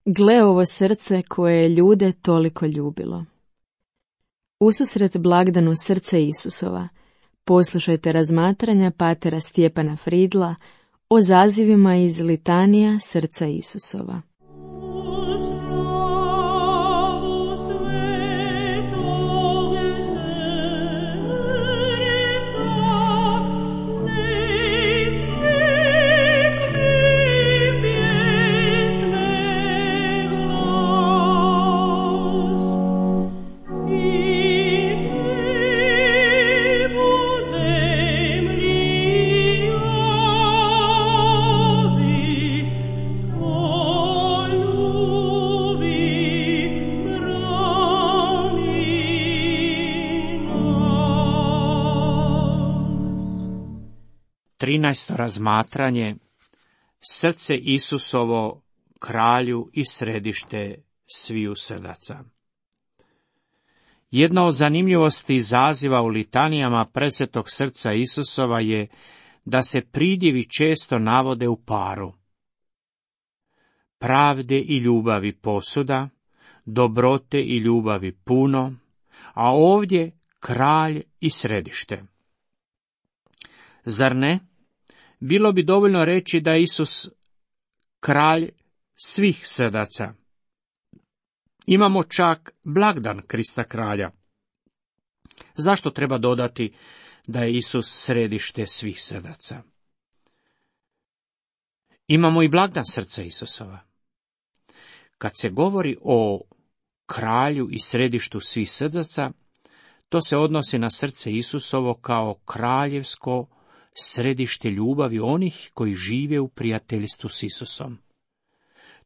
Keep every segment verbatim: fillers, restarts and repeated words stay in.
Gle ovo srce koje je ljude toliko ljubilo. Ususret blagdanu srce Isusova, poslušajte razmatranja patera Stjepana Fridla o zazivima iz litanija srca Isusova. Trinaesto razmatranje. Srce Isusovo, kralju i središte sviju srdaca. Jedna od zanimljivosti zaziva u litanijama presvetog srca Isusova je da se pridjevi često navode u paru. Pravde i ljubavi posuda, dobrote i ljubavi puno, a ovdje kralj i središte. Zar ne? Bilo bi dovoljno reći da je Isus kralj svih srdaca. Imamo čak blagdan Krista kralja. Zašto treba dodati da je Isus središte svih srdaca? Imamo i blagdan srca Isusova. Kad se govori o kralju i središtu svih srdaca, to se odnosi na srce Isusovo kao kraljevsko središte ljubavi onih koji žive u prijateljstvu s Isusom.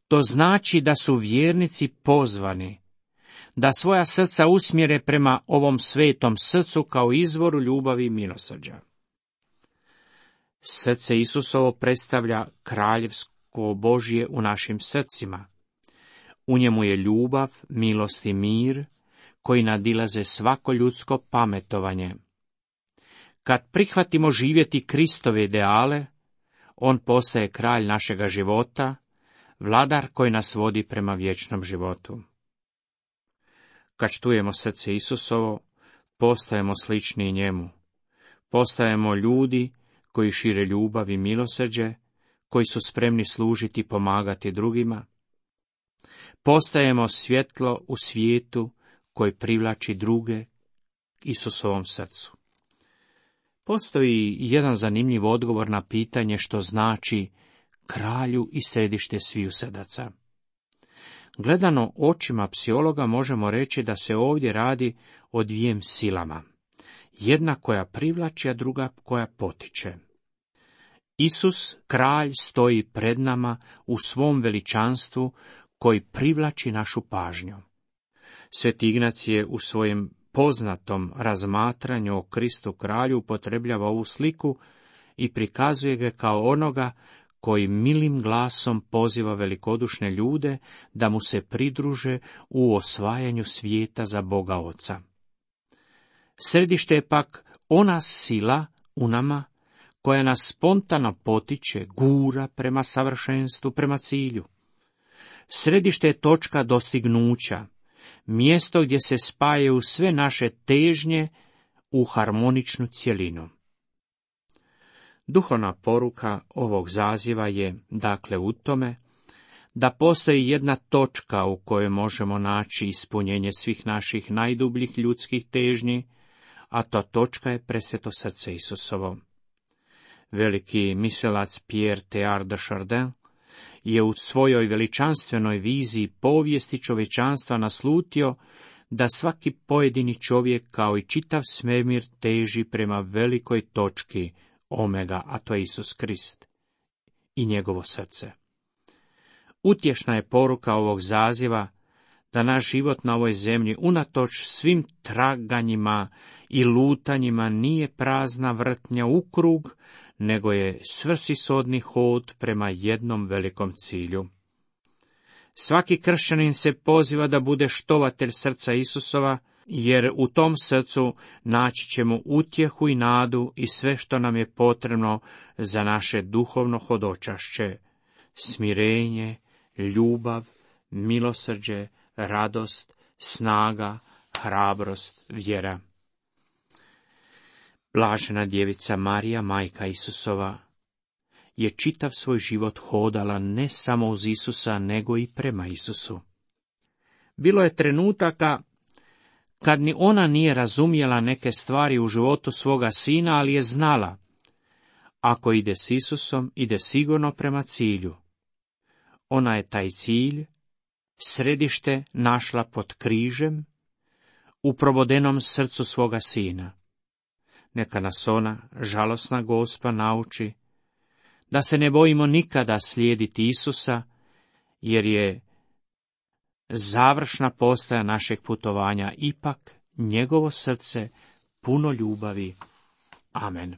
To znači da su vjernici pozvani da svoja srca usmjere prema ovom svetom srcu kao izvoru ljubavi i milosrđa. Srce Isusovo predstavlja kraljevsko Božje u našim srcima. U njemu je ljubav, milost i mir koji nadilaze svako ljudsko pametovanje. Kad prihvatimo živjeti Kristove ideale, on postaje kralj našega života, vladar koji nas vodi prema vječnom životu. Kad čujemo srce Isusovo, postajemo slični njemu. Postajemo ljudi koji šire ljubav i milosrđe, koji su spremni služiti i pomagati drugima. Postajemo svjetlo u svijetu koji privlači druge Isusovom srcu. Postoji jedan zanimljiv odgovor na pitanje što znači kralju i središte sviju srdaca. Gledano očima psihologa možemo reći da se ovdje radi o dvijem silama. Jedna koja privlači, a druga koja potiče. Isus, kralj, stoji pred nama u svom veličanstvu koji privlači našu pažnju. Sveti Ignacije u svojem poznatom razmatranju o Kristu kralju upotrebljava ovu sliku i prikazuje ga kao onoga koji milim glasom poziva velikodušne ljude da mu se pridruže u osvajanju svijeta za Boga Oca. Središte je pak ona sila u nama koja nas spontano potiče, gura prema savršenstvu, prema cilju. Središte je točka dostignuća, mjesto gdje se spajaju sve naše težnje u harmoničnu cjelinu. Duhovna poruka ovog zaziva je, dakle, u tome da postoji jedna točka u kojoj možemo naći ispunjenje svih naših najdubljih ljudskih težnji, a ta točka je presveto srce Isusovo. Veliki mislilac Pierre Teilhard de Chardin je u svojoj veličanstvenoj viziji povijesti čovječanstva naslutio da svaki pojedini čovjek kao i čitav svemir teži prema velikoj točki omega, a to je Isus Krist i njegovo srce. Utješna je poruka ovog zaziva da naš život na ovoj zemlji, unatoč svim traganjima i lutanjima, nije prazna vrtnja u krug, nego je svrsishodni hod prema jednom velikom cilju. Svaki kršćanin se poziva da bude štovatelj srca Isusova, jer u tom srcu naći ćemo utjehu i nadu i sve što nam je potrebno za naše duhovno hodočašće, smirenje, ljubav, milosrđe, radost, snaga, hrabrost, vjera. Blažena djevica Marija, majka Isusova, je čitav svoj život hodala ne samo uz Isusa, nego i prema Isusu. Bilo je trenutaka kad ni ona nije razumjela neke stvari u životu svoga sina, ali je znala, ako ide s Isusom, ide sigurno prema cilju. Ona je taj cilj, središte, našla pod križem, u probodenom srcu svoga sina. Neka nas ona, žalosna Gospa, nauči da se ne bojimo nikada slijediti Isusa, jer je završna postaja našeg putovanja ipak njegovo srce puno ljubavi. Amen.